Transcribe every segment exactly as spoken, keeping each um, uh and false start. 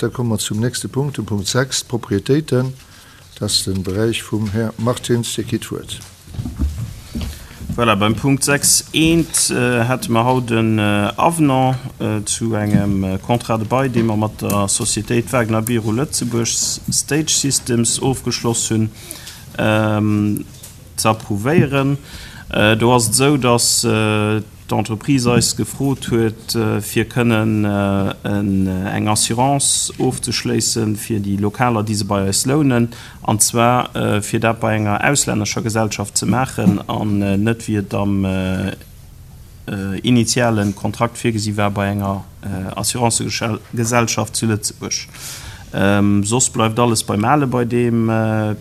Da komme mer zum nächste Punkt, dem Punkt sechs, d'Propriétéiten. Dat ass de Beräich vum Här Martins. Dir kritt d'Wuert. Voilà, beim Punkt sechs eent hätte mer haut en Avenant zu engem Contrat de bail, dee mer mat der Sociétéit Wagner Biro Lëtzebuerg Stage Systems ofgeschloss hunn, ze approuvéieren. Do ass et esou, dass d'Entreprise eis gefrot huet, fir kënnen eng Assurance ofzeschléisse fir déi Lokaler, déi se bei eis lounen, an zwar fir dat bei enger auslännescher Gesellschaft ze maachen an net, wéi et am initiale Kontrakt virgesi war, bei enger Assurancëgesellschaft zu Lëtzebuerg. Soss bleift alles beim Ale bei deem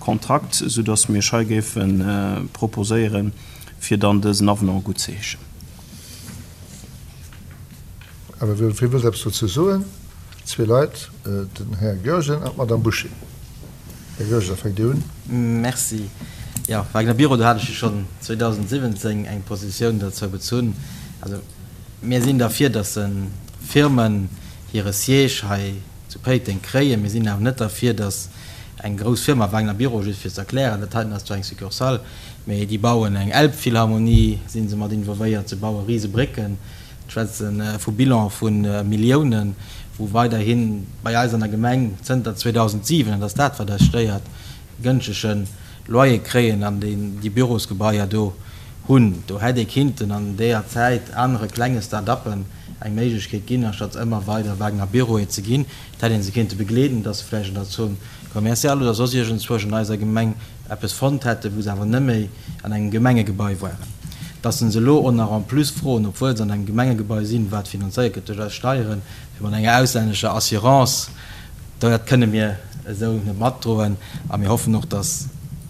Kontrakt, soudass mir Iech hei géife proposéieren, fir dann dësen Avenant guttzeheeschen. Awer wie wëllt eppes dozou soen? Zwee Leit, den Här Goergen an d'Madame Bouché. Här Goergen, da fänkt Dir un. Merci. Jo, Wagner Biro, do hat ech jo schonn zweedausendsiwwenzéng eng Positioun dozou bezunn. Also mir sinn derfir, dass Firmen hire Siège hei zu Péiteng kréien. Mir sinn awer net derfir, dass eng grouss Firma, Wagner Biro, just fir ze erklären, dat heiten ass zwar eng Succursale, mee déi bauen eng Elbphilharmonie, si se mat involvéiert, se baue rise Brécken, schwätze vu Bilan vu Milliounen, wou weiderhi bei eis an der Gemeng zënter zweedausendsiwen, an dat ass dat, wat eis stéiert, gënschtege Loyer kréien an déi Bürosgebaier do hunn. Do hätt ee kinnten an deeër Zäit anere klenge Start-uppen eng Méiglechkeet ginn, anstatt ëmmer weider Wagner Büroe ze ginn. Et hätt ee se kinnte begleeden, dass se vläicht an der Zone commerciale oder soss iergendzwousch an eiser Gemeng eppes fonnt hätten, wou se awer net méi an engem Gemengegebai waren. Dass se elo och nach en plus froen, obwuel se an engem Gemengegebai sinn, wat finanzéiert gëtt duerch eis Steieren, fir mat enger auslännescher Assurance, dat kënne mir esou net matdroen. A mir hoffen och, dass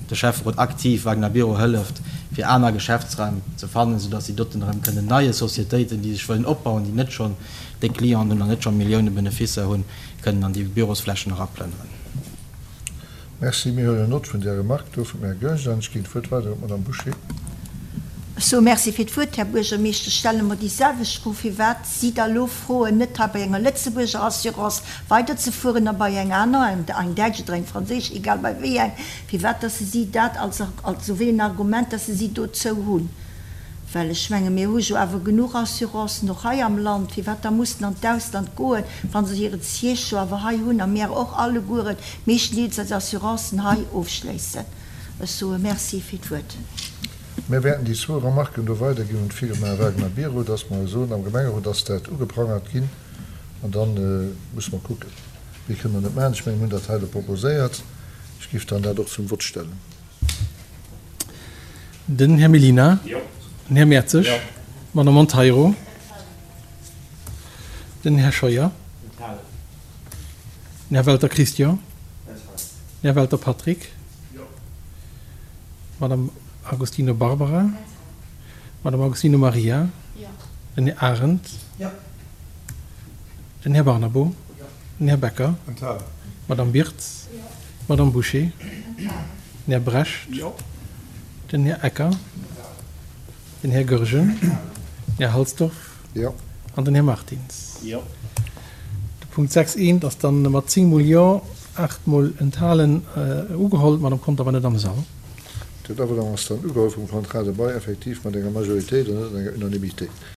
de Schäfferot aktiv Wagner Biro hëlleft, fir aner Geschäftsraim ze fannen, soudass si doten erëm kënnen neie Societéiten, déi sech wëllen opbauen, déi net schonn déck Clienten hunn an net scho Millioune Beneficer hunn, kënnen an déi Bürosflächen eraplënneren. Merci. Mir huelen Nott vun där Remarque do vum Här Goergen an ech ginn d'Wuert weider un d'Madame Bouché. Ech soe Merci fir d'Wuert, Här Buergermeeschter. Ech stelle mer déi selwecht Fro, firwat si da lo froen, net hei bei enger Lëtzebuerger Assurance weiderzefueren a bei eng aner, eng däitsch oder eng franséisch, egal bei wéi eng, firwat dass se si dat als, also wéi en Argument, dass se si dozou hunn. Well ech menge mir hu jo awer genuch Assurancen och hei am Land, firwat da mussen an d'Ausland goen, wa se hire Siège jo awer hei hunn a mir och allegueren meeschtendeels eis Assurancen hei ofschléissen. Ech soe Merci fir d'Wuert. Mir wäerten déi zwou Remarken do weiderginn un d'Firma Wagner Biro, dass mer soen, am Gemengerot ass dat ugeprangert ginn an da musse mer kucken. Méi kënne mer net maachen. Ech menge mir hunn dat hei elo proposéiert. Ech géif dann dat och zum Vott stellen. Den Här Mellina. Den Här Mertzig. D'Madame Monteiro. Den Här Scheuer. Den Här Welter Christian. Den Här Welter Patrick. D'Madame Agostino Barbara. D'Madame Agostino Maria. Den Här Arendt. Den Här Barnabo. Den Här Becker. D'Madame Birtz. D'Madame Bouché. Den Här Brecht. Den Här Ecker. Den Här Goergen. Den Här Halsdorf. An den Här Martins. De Punkt sechs eent ass dann mat zéng mol Jo, aacht mol enthalen ugeholl. D'Madame Conter war net am Sall. Dat Avenant ass dann ugeholl vum Contrat de bail, effektiv mat enger Majoritéit an net enger Unanimité.